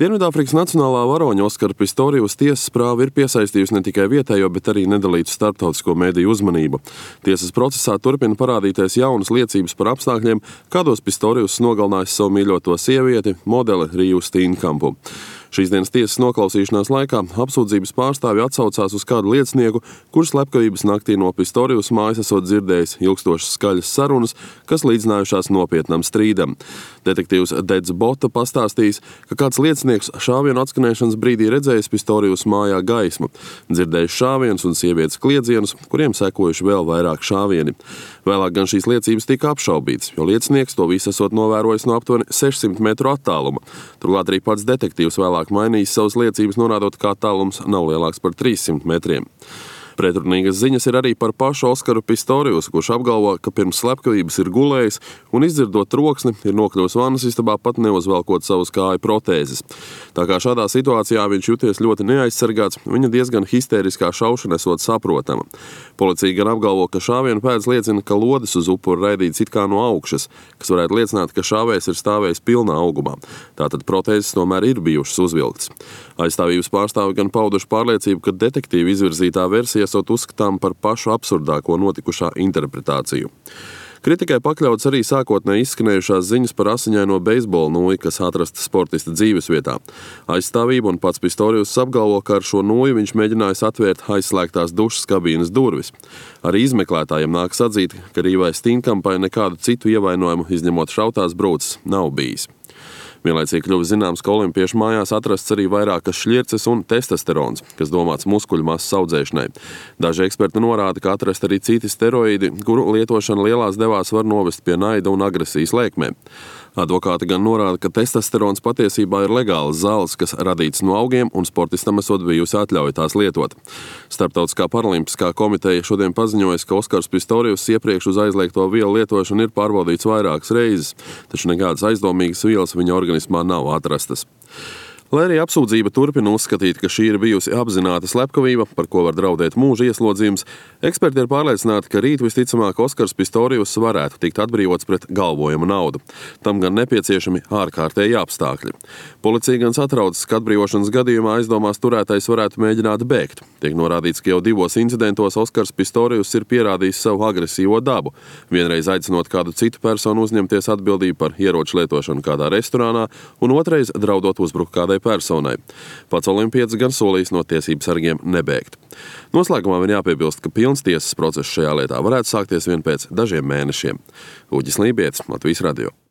Dienvidāfrikas Nacionālā varoņa Oskara Pistoriusa tiesas prāva ir piesaistījusi ne tikai vietējo, bet arī nedalītu starptautisko mediju uzmanību. Tiesas procesā turpina parādīties jaunas liecības par apstākļiem, kādos Pistorius nogalinājis savu mīļoto sievieti, modeli Riju Steenkampu. Šīs dienas tiesas noklausīšanās laikā apsūdzības pārstāvi atsaucās uz kādu liecinieku, kurš slepkavības naktī no Pistorius mājas esot dzirdējis ilgstošas skaļas sarunas, kas līdzinājušās nopietnam strīdam. Detektīvs Dedz Bota pastāstījis, ka kāds liecinieks šāvienu atskanēšanas brīdī redzējis Pistorius mājā gaismu, dzirdējis šāvienus un sievietes kliedzienus, kuriem sekojuši vēl vairāk šāvieni. Vēlāk gan šīs liecības tika apšaubītas, jo liecinieks to visu esot novērojis no aptuveni 600 metru attāluma. Turklāt arī pats detektīvs vēlāk mainījis savas liecības, norādot, kā tālums nav lielāks par 300 metriem. Pretrunīgas ziņas ir arī par pašu Oskaru Pistoriusu, kurš apgalvo, ka pirms slepkavības ir gulējis un izdzirdot troksni, ir nokļuvis vannas istabā pat neuzvelkot savus kāju protēzes. Tā kā šādā situācijā viņš juties ļoti neaizsargāts, viņa diezgan histēriskā šaušana esot saprotama. Policija gan apgalvo, ka šāvienu pēdas liecina, ka lodes uz upuru raidīts it kā no augšas, kas varētu liecināt, ka šāvējs ir stāvējis pilnā augumā. Tātad protēzes tomēr ir bijušas uzvilktas. Aizstāvības pārstāvi gan pauduši pārliecību, ka detektīva izvirzītā versija esot uzskatām par pašu absurdāko notikušā interpretāciju. Kritikai pakļauts arī sākotnēji izskanējušās ziņas par asiņaino beisbola nūju, kas atrasta sportista dzīvesvietā. Aizstāvība un pats Pistorius apgalvo, ka ar šo nūju viņš mēģinājis atvērt aizslēgtās dušas kabīnes durvis. Arī izmeklētājiem nākas atzīt, ka Rīvai Steenkampai nekādu citu ievainojumu, izņemot šautās brūces, nav bijis. Vienlaicīgi kļuva zināms, ka olimpiešu mājās atrasts arī vairākas šļirces un testosterons, kas domāts muskuļu masas audzēšanai. Daži eksperti norāda, ka atrast arī citi steroīdi, kuru lietošana lielās devās var novest pie naida un agresijas lēkmēm. Advokāti gan norāda, ka testosterons patiesībā ir legāls zāles, kas radīts no augiem un sportistam esot bijusi atļauja tās lietot. Starptautiskā paralimpiskā komiteja šodien paziņojas, ka Oskars Pistorius iepriekš uz aizliegto vielu lietošanu ir pārbaudīts vairākas reizes, taču nekādas aizdomīgas vielas viņa organismā nav atrastas. Lai arī apsūdzība turpina uzskatīt, ka šī ir bijusi apzināta slepkavība, par ko var draudēt mūža ieslodzījums, eksperti ir pārliecināti, ka rīt visticamāk Oskars Pistorius varētu tikt atbrīvots pret galvojumu naudu. Tam gan nepieciešami ārkārtēji apstākļi. Policija gan satraucas, ka atbrīvošanas gadījumā aizdomās turētais varētu mēģināt bēgt. Tiek norādīts, ka jau 2 incidentos Oskars Pistorius ir pierādījis savu agresīvo dabu, vienreiz aicinot kādu citu personu uzņemties atbildību par ieroču lietošanu kādā restorānā un otrais draudot uzbrukt kādai personai. Pats olimpietis gan solījis no tiesību sargiem nebēgt. Noslēgumā vien jāpiebilst, ka pilns tiesas process šajā lietā varētu sākties vien pēc dažiem mēnešiem. Uģis Lībietis, Latvijas radio.